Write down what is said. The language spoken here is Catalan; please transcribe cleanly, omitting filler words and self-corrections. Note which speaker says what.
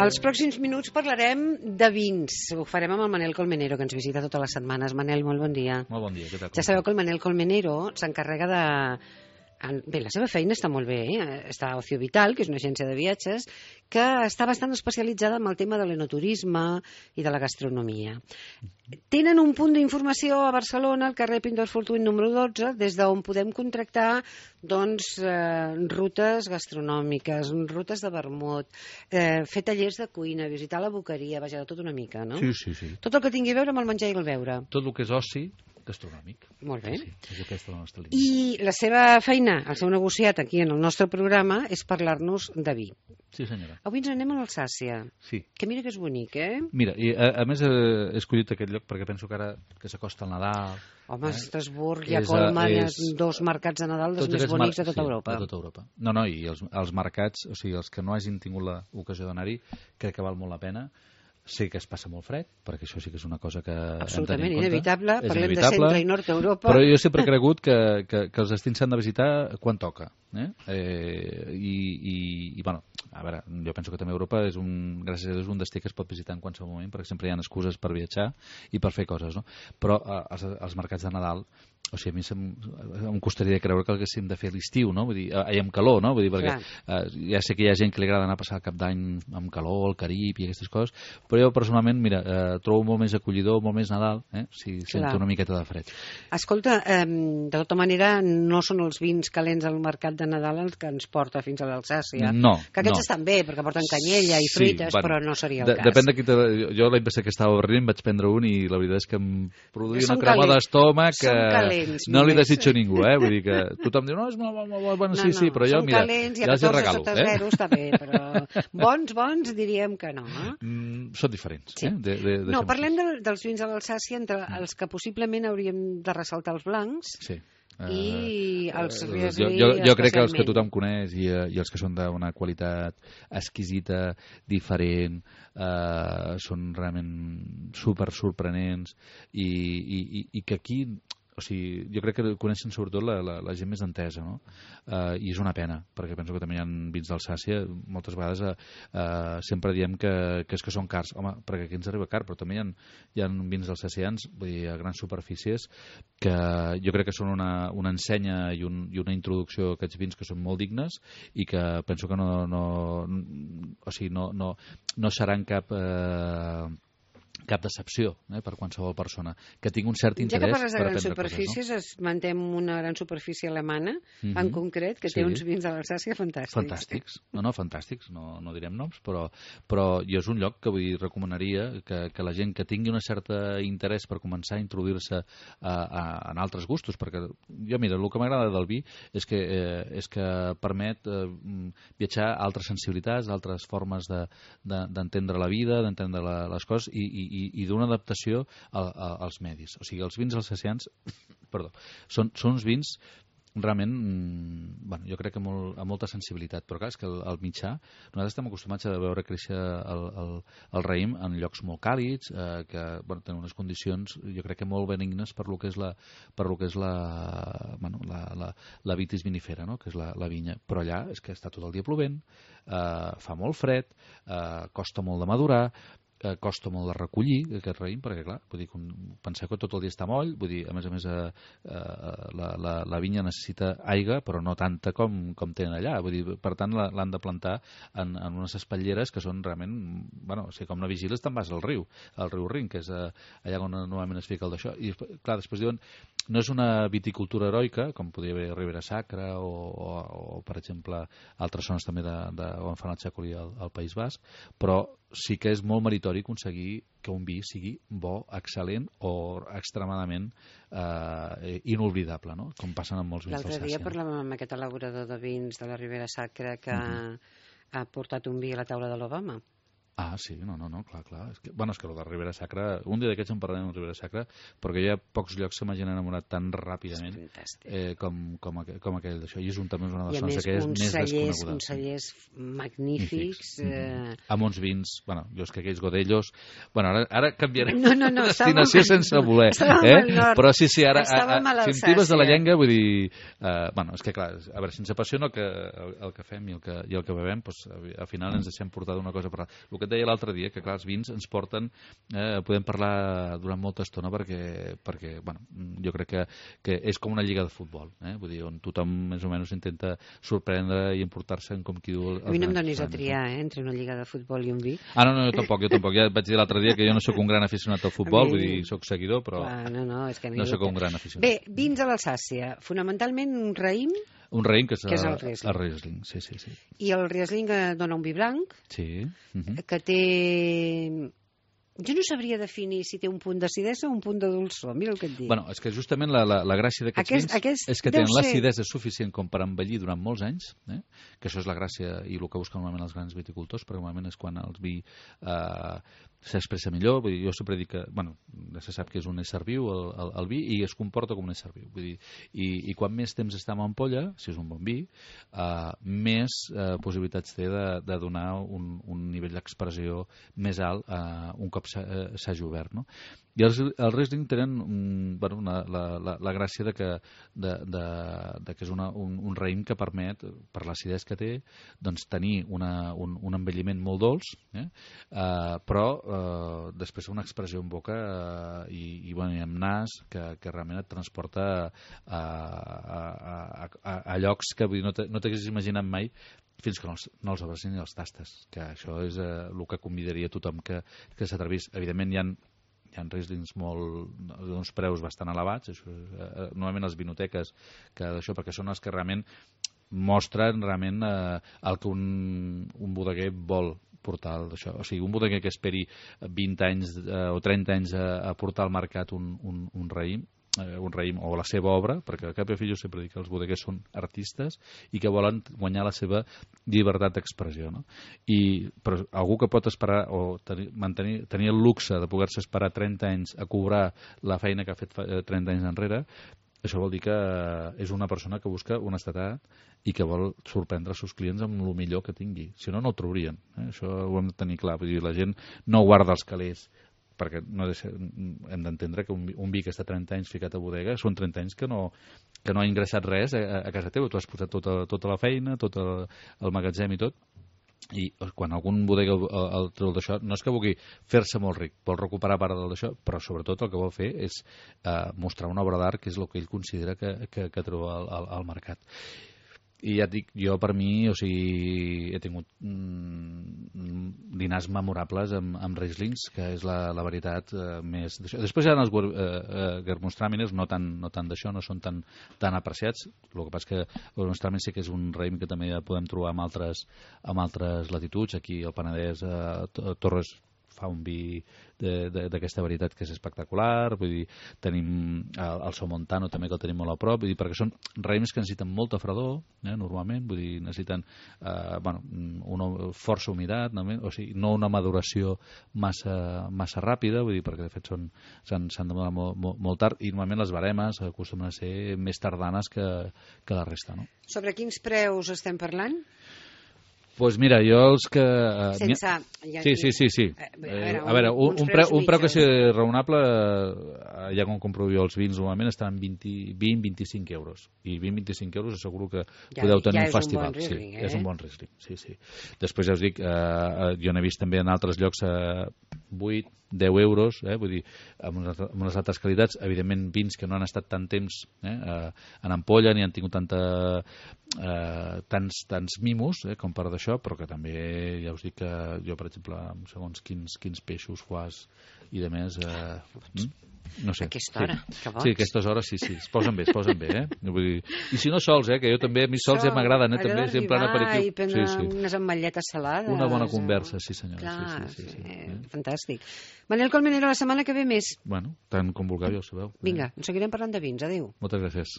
Speaker 1: Els pròxims minuts parlarem de vins. Ho farem amb el Manel Colmenero, que ens visita totes les setmanes. Manel, molt bon dia.
Speaker 2: Molt bon dia, què tal?
Speaker 1: Ja sabeu que el Manel Colmenero s'encarrega de... Bé, la seva feina està molt bé, està a Ocio Vital, que és una agència de viatges, que està bastant especialitzada en el tema de l'enoturisme i de la gastronomia. Tenen un punt d'informació a Barcelona, al carrer Pintor Fortuny número 12, des d'on podem contractar rutes gastronòmiques, rutes de vermut, fer tallers de cuina, visitar la boqueria, vaja, de tot una mica, no?
Speaker 2: Sí.
Speaker 1: Tot el que tingui a veure amb el menjar i el beure.
Speaker 2: Tot el que és oci gastronòmic.
Speaker 1: Molt bé.
Speaker 2: Sí, és aquesta la nostra línia.
Speaker 1: I la seva feina, el seu negociat aquí en el nostre programa, és parlar-nos de vi.
Speaker 2: Sí, senyora.
Speaker 1: Avui ens anem a l'Alsàcia.
Speaker 2: Sí.
Speaker 1: Que mira que és bonic,
Speaker 2: Mira, i a més he escollit aquest lloc perquè penso que ara que s'acosta el Nadal...
Speaker 1: Home, Estrasburg i a Colma hi ha dos mercats de Nadal dels més bonics de tota Europa.
Speaker 2: De tota Europa. No, i els mercats, o sigui, els que no hagin tingut l'ocasió d'anar-hi, crec que val molt la pena. Sé que es passa molt fred, perquè això sí que és una cosa que
Speaker 1: absolutament inevitable, parlem
Speaker 2: inevitable,
Speaker 1: de centre i nord Europa.
Speaker 2: Però jo sempre he cregut que els destins s'han de visitar quan toca. Bueno, a veure, jo penso que també Europa és gràcies a Déu, és un destí que es pot visitar en qualsevol moment, perquè sempre hi ha excuses per viatjar i per fer coses, no? Però els mercats de Nadal, o sigui, a mi em costaria creure que haguéssim de fer l'estiu, no? Vull dir, amb calor, no? Vull dir, perquè ja sé que hi ha gent que li agrada anar a passar el cap d'any amb calor, al Carib i aquestes coses, però jo personalment, mira, trobo molt més acollidor, molt més Nadal, si sento una miqueta de fred.
Speaker 1: Escolta, de tota manera, no són els vins calents al mercat de Nadal els que ens porta fins a l'Alsàcia.
Speaker 2: No.
Speaker 1: Que aquests estan bé, perquè porten canyella i fruites, però no seria el cas.
Speaker 2: Depèn de qui jo l'any passat que estava a Berlín vaig prendre un i la veritat és que em produïa una crema d'estómac que no li desitjo a ningú, vull dir que tothom diu, no, és molt bon, sí, però jo, mira, ja els regalo.
Speaker 1: Són calents i a 14 sota 0 està bé, però bons diríem que no.
Speaker 2: Són diferents.
Speaker 1: No, parlem dels vins a l'Alsàcia, entre els que possiblement hauríem de ressaltar els blancs. Sí. I els Riesling
Speaker 2: jo crec que els que tothom coneix i els que són d'una qualitat exquisita, diferent, són realment super sorprenents i que aquí, o sigui, jo crec que coneixen sobretot la gent més entesa, no? I és una pena, perquè penso que també hi ha vins d'Alsàcia, moltes vegades sempre diem que és que són cars. Home, perquè aquí ens arriba car, però també hi ha vins alsacians, vull dir, a grans superfícies, que jo crec que són una ensenya i una introducció a aquests vins que són molt dignes i que penso que no seran cap decepció per qualsevol persona, que tingui un cert interès per aprendre coses.
Speaker 1: Ja que parles de grans superfícies, esmentem una gran superfície alemana, en concret, que té uns vins de l'Alsàcia fantàstics.
Speaker 2: Fantàstics, fantàstics, no direm noms, però jo és un lloc que recomanaria que la gent que tingui un cert interès per començar a introduir-se en altres gustos, perquè jo, mira, el que m'agrada del vi és que permet viatjar a altres sensibilitats, altres formes d'entendre la vida, d'entendre les coses i d'una adaptació als medis. O sigui, els vins alsacians són uns vins realment, jo crec que amb molta sensibilitat, però clar, és que el mitjà, nosaltres estem acostumats a veure créixer el raïm en llocs molt càlids, que tenen unes condicions, jo crec que molt benignes per lo que és la vitis vinifera, no? Que és la vinya, però allà és que està tot el dia plovent, fa molt fred, costa molt de madurar, costa molt de recollir aquest raïm, perquè clar, vull dir, penseu que tot el dia està moll, vull dir, a més la vinya necessita aigua, però no tanta com tenen allà, vull dir, per tant l'han de plantar en unes espatlleres que són realment, com no vigiles te'n vas al riu Rin, que és allà on normalment es fica el d'això, i clar, després diuen, no és una viticultura heroica, com podria haver Ribera Sacra o per exemple, altres zones també on fan el xacoli al País Basc, però sí que és molt meritori aconseguir que un vi sigui bo, excel·lent o extremadament inoblidable, no? Com passen amb molts vins d'Alsàcia.
Speaker 1: L'altre dia parlàvem amb aquest elaborador de vins de la Ribera Sacra que ha portat un vi a la taula de l'Obama.
Speaker 2: Ah, sí, no, clar. És que el de Ribera Sacra, un dia d'aquests en parlarem de Ribera Sacra, perquè hi ha pocs llocs que m'hagin enamorat tan ràpidament com aquell d'això. I és també una de les zones que és més desconeguda.
Speaker 1: I a més, uns cellers magnífics.
Speaker 2: Amb uns vins, jo és que aquells godellos... Ara canviarem destinació sense voler. Però sí, ara, si em tibes de la llengua, vull dir... És que clar, a veure, si ens apassiona el que fem i el que bevem, al final ens deixem portar d'una cosa per l'altra. El que et deia l'altre dia, que clar, els vins ens porten, podem parlar durant molta estona perquè bueno, jo crec que és com una lliga de futbol, vull dir, on tothom més o menys intenta sorprendre i emportar-se en com qui diu...
Speaker 1: A mi no em donis a triar, entre una lliga de futbol i un vi.
Speaker 2: No, jo tampoc. Ja et vaig dir l'altre dia que jo no sóc un gran aficionat al futbol, vull dir, sóc seguidor, però
Speaker 1: és que
Speaker 2: no sóc un gran aficionat.
Speaker 1: Bé, vins a l'Alsàcia, fonamentalment un raïm.
Speaker 2: Un raïm que és
Speaker 1: el
Speaker 2: Riesling. Sí.
Speaker 1: I el Riesling dona un vi blanc,
Speaker 2: sí.
Speaker 1: Que té... Jo no sabria definir si té un punt d'acidesa o un punt de dolçor, mira el que et dic.
Speaker 2: Bueno, és que justament la gràcia d'aquests vins és que tenen l'acidesa suficient com per envellir durant molts anys, que això és la gràcia i el que busquen normalment els grans viticultors, perquè normalment és quan el vi s'expressa millor. Vull dir, jo sempre dic que, bueno, se sap que és un ésser viu el vi i es comporta com un ésser viu. Vull dir, i quan més temps està en ampolla, si és un bon vi, més possibilitats té de donar un nivell d'expressió més alt un cop s'hagi obert, no? I els Riesling tenen la gràcia de que és un raïm que permet, per l'acidesa que té, doncs tenir un envelliment molt dolç, però després una expressió en boca i amb nas que realment et transporta a llocs que no t'haguessis imaginat mai fins que no els obres ni els tastes, que això és el que convidaria a tothom que s'atrevís. Evidentment hi ha Rieslings d'uns preus bastant elevats, això, normalment les vinoteques, perquè són els que realment mostren el que un bodeguer vol portar d'això. O sigui, un bodeguer que esperi 20 anys o 30 anys a portar al mercat un raïm o la seva obra, perquè al cap i a fi jo sempre dic que els bodeguers són artistes i que volen guanyar la seva llibertat d'expressió, no? Però algú que pot esperar o tenir el luxe de poder-se esperar 30 anys a cobrar la feina que ha fet 30 anys enrere, això vol dir que és una persona que busca honestedat i que vol sorprendre els seus clients amb el millor que tingui. Si no, no ho trobarien. Això ho hem de tenir clar. Vull dir, la gent no guarda els calés, perquè hem d'entendre que un vi que està 30 anys ficat a bodega són 30 anys que no ha ingressat res a casa teva. Tu has posat tota la feina, tot el magatzem i tot. I quan algun bodega el treu d'això, no és que vulgui fer-se molt ric, vol recuperar part d'això, però sobretot el que vol fer és mostrar una obra d'art, que és el que ell considera que treu al mercat. I ja et dic, jo per mi, o sigui, he tingut dinars memorables amb Rieslings, que és la veritat més d'això. Després hi ha els Gewürztraminer, no tant d'això, no són tan apreciats. El que passa que el Gewürztraminer sí que és un raïm que també ja podem trobar en altres latituds. Aquí al Penedès, Torres fa un vi d'aquesta varietat que és espectacular. Vull dir, tenim el Somontano també, que el tenim molt a prop, vull dir, perquè són raïms que necessiten molta fredor, normalment, vull dir, necessiten una força humitat, o sigui, no una maduració massa ràpida, vull dir, perquè de fet s'han de madurar molt tard, i normalment les baremes acostumen a ser més tardanes que la resta, no?
Speaker 1: Sobre quins preus estem parlant?
Speaker 2: Doncs mira, jo els que...
Speaker 1: Sense...
Speaker 2: Sí. A veure, un preu que sigui raonable, ja com comprovo jo, els vins normalment estan en 20-25 euros. I 20-25 euros asseguro que podeu tenir un festival.
Speaker 1: Riesling,
Speaker 2: és un bon Riesling, sí. Després ja us dic, jo n'he vist també en altres llocs 8, 10 euros, vull dir, amb unes altres qualitats, evidentment vins que no han estat tant temps en ampolla ni han tingut tants mimos com per d'això, però que també ja us dic que jo, per exemple, segons quins peixos, foies i de més, no sé.
Speaker 1: Aquesta hora, que boig.
Speaker 2: Sí, aquestes hores sí, es posen bé, Vull dir, i si no sols, que jo també, a mi sols ja m'agraden, també, sempre en aperitiu.
Speaker 1: I prendre unes ametlletes salades.
Speaker 2: Una bona conversa, sí senyora.
Speaker 1: Clar, sí. Fantàstic. Manel Colmenero, la setmana que ve més.
Speaker 2: Bueno, tant com vulgueu, ja ho sabeu.
Speaker 1: Vinga, en seguirem parlant de vins. Adéu.
Speaker 2: Moltes gràcies.